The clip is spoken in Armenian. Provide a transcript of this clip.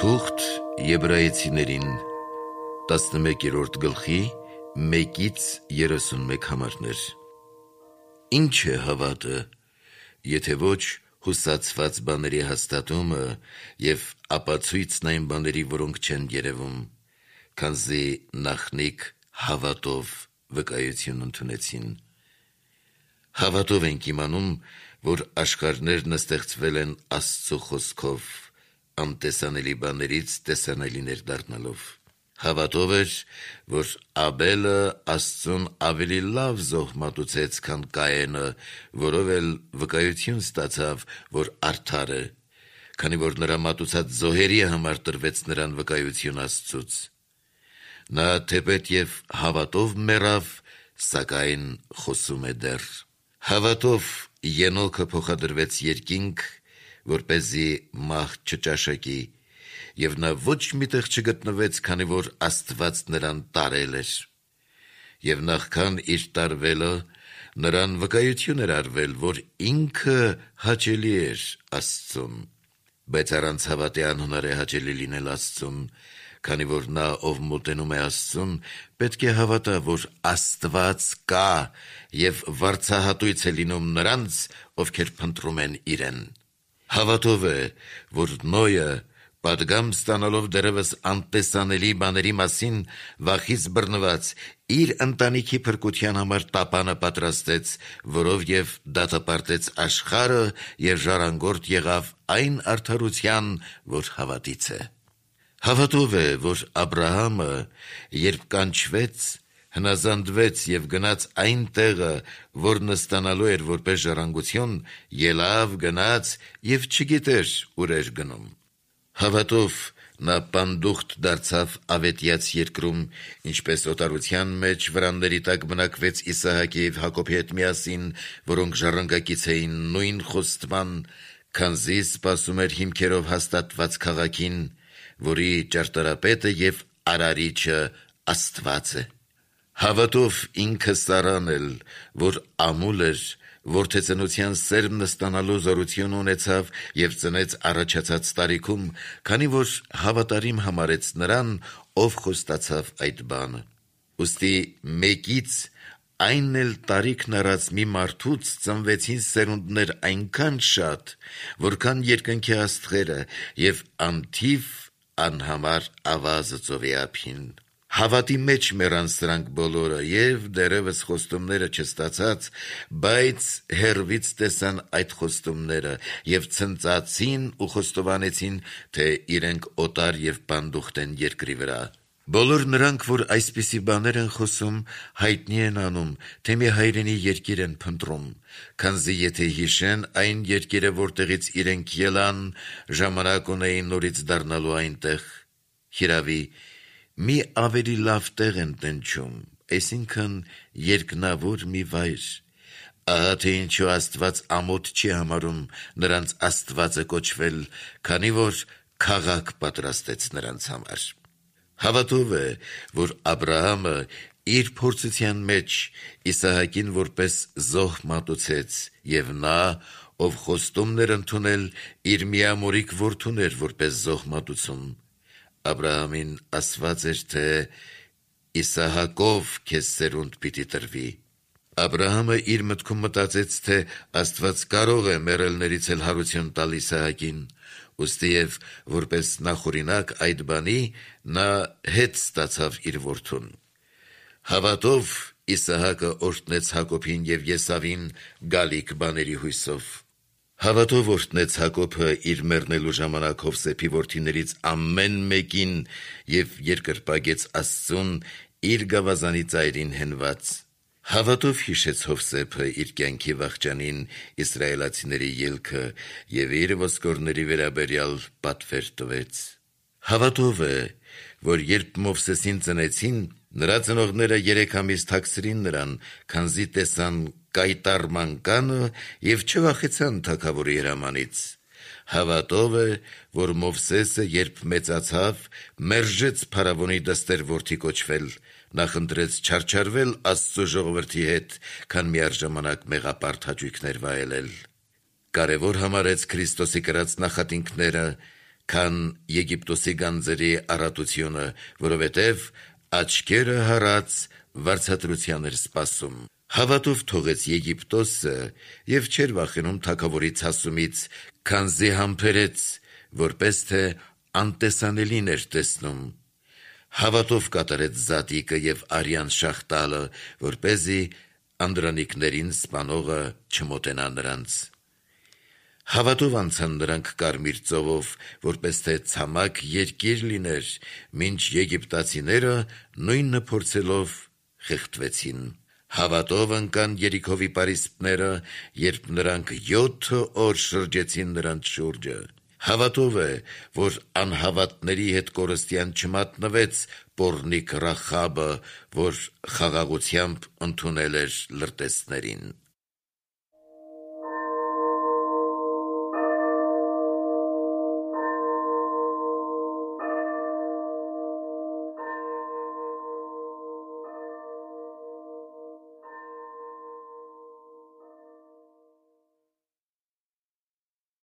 Թուղթ Եբրայեցիներին 11-րդ գլխի 1-31 համարներ։ Ինչ է հավատը, եթե ոչ հուսացված բաների հաստատումը և ապացույցն այն բաների, որոնք չեն երևում, քանզի նախնիկ հավատով վկայություն ընդունեցին։ Հավատով ենք իմանում, որ աշխարհներն ստեղծվել են Աստծո խոսքով, անտեսանելի բաներից տեսանելիներ դառնալով։ Հավատով էր, որ Աբելը Աստծուն ավելի լավ զոհ մատուցեց, քան Կայենը, որով էլ վկայություն ստացավ, որ արդար է, քանի որ նրա մատուցած զոհերի համար տրվեց նրան վկայություն Աստծուց։ Նա թեպետ և հավատով մեռավ, սակայն խոսում է դեռ։ Հավատով Ենոքը փոխադրվեց երկինք, որպեսզի մահ չճաշակի, և նա ոչ միտեղ չգտնվեց, քանի որ Աստված նրան տարել էր։ Եվ նախքան իր տարվելը, նրան վկայություն էր արվել, որ ինքը հաճելի էր Աստծուն։ Բայց առանց հավատի անհնար է հաճելի լինել Աստծուն, քանի որ նա, ով մոտենում է Աստծուն, պետք է հավատա, որ Աստված կա և վարձահատույց է լինում նրանց, ովքեր փնտրում են իրեն։ Հավատով է, որ Նոյը, պատգամ ստանալով դեռևս անտեսանելի բաների մասին, վախից բռնված, իր ընտանիքի փրկության համար տապանը պատրաստեց, որով և դատապարտեց աշխարհը և ժառանգորդ եղավ այն արդարության, որ հավատից է։ Հավատով է, որ Աբրահամը, երբ կանչվեց, հնազանդվեց և գնաց այն տեղը, որն ստանալու էր որպես ժառանգություն, ելավ, գնաց և չգիտեր ուր էր գնում։ Հավատով նա պանդուխտ դարձավ ավետյաց երկրում, ինչպես օտարության մեջ վրանների տակ բնակվեց Իսահակի և Հակոբի հետ միասին, որոնք ժառանգակից էին նույն խոստման, քանզի սպասում էր հիմքերով հաստատված քաղաքին, որի ճարտարապետը և արարիչը Աստված է։ Հավատով ինքը Սառան էլ, որ ամուլ էր, որդեծնության սերմն ստանալու զորություն ունեցավ և ծնեց առաջացած տարիքում, քանի որ հավատարիմ համարեց նրան, ով խոստացավ այդ բանը։ Ուստի մեկից, այն էլ տարիքն առած մի մարդուց ծնվեցին սերունդներ այնքան շատ, որքան երկնքի աստղերը և անթիվ անհամար ավազը ծովի ափին։ Հավատի մեջ մեռան սրանք բոլորը և դեռևս խոստումները չստացած, բայց հեռվից տեսան այդ խոստումները և ցնծացին ու խոստովանեցին, թե իրենք օտար և պանդուխտ են երկրի վրա։ Բոլոր նրանք, որ այսպիսի բաներ են խոսում, հայտնի են անում, թե մի հայրենի երկիր են փնտրում, քանզի եթե հիշեն այն երկիրը, որտեղից իրենք ելան, ժամանակ ունեին նորից դառնալու այնտեղ։ Հիրավի, մի ավելի լավ տեղ են տնչում, այսինքն երկնավոր մի վայր։ Ահա թե ինչու Աստված ամոթ չի համարում նրանց Աստվածը կոչվել, քանի որ քաղաք պատրաստեց նրանց համար։ Հավատով է, որ Աբրահամը իր փորձության մեջ Իսահակին որպես զոհ մատուցեց, և նա, ով խոստումն էր ընդունել, իր միամորիկ որդուն էր որպես զոհ մատուցում։ Աբրահամին ասված էր, թե Իսահակով քեզ սերունդ պիտի տրվի։ Աբրահամը իր մտքում մտածեց, թե Աստված կարող է մեռելներից էլ հարություն տալ Իսահակին, ուստիև որպես նախօրինակ այդ բանի, նա հետ ստացավ իր որդուն։ Հավատով Իսահակը օրհնեց Հակոբին և Եսավին գալիք բաների հույսով։ Հավատով օրհնեց Հակոբը իր մեռնելու ժամանակ Հովսեփի որդիներից ամեն մեկին և երկրպագեց Աստծուն իր գավազանի ծայրին հենված։ Հավատով հիշեց Հովսեփը իր կյանքի վախճանին իսրայելացիների ելքը և իր ոսկորների վերաբերյալ պատվեր տվեց։ Հավատով է, որ երբ Մովսեսին ծնեցին, նրա ծնողները 3 ամիս թաքցրին նրան, քանզի տեսան կայտառ մանկանը և չվախեցան թագավորի հրամանից։ Հավատով է, որ Մովսեսը, երբ մեծացավ, մերժեց փարավոնի դստեր որդի կոչվել, նախընտրեց չարչարվել Աստծո ժողովրդի հետ, քան միառժամանակ մեղապարտ հաճույքներ վայելել։ Կարևոր համարեց Քրիստոսի կրած նախատինքները, քան Եգիպտոսի գանձերի առատությունը, որովհետև աչքերը հառած վարձատրության էր սպասում։ Հավատով թողեց Եգիպտոսը և չէր վախենում թագավորի ցասումից, քանզի համբերեց, որպես թե անտեսանելին էր տեսնում։ Հավատով կատարեց զատիկը և արյան շաղտալը, որպեսզի անդրանիկներին սպանողը չմոտենա նրանց։ Հավատով անցան նրանք Կարմիր ծովով, որպես թե ցամաք երկիր լիներ, մինչ եգիպտացիները նույնը փորձելով խեղդվեցին։ Հավատով ընկան Երիքովի պարիսպները, երբ նրանք 7 օր շրջեցին նրանց շուրջը։ Հավատով է, որ անհավատների հետ կորստյան չմատնվեց պոռնիկ Ռախաբը, որ խաղաղությամբ ընդունել էր լրտեսներին։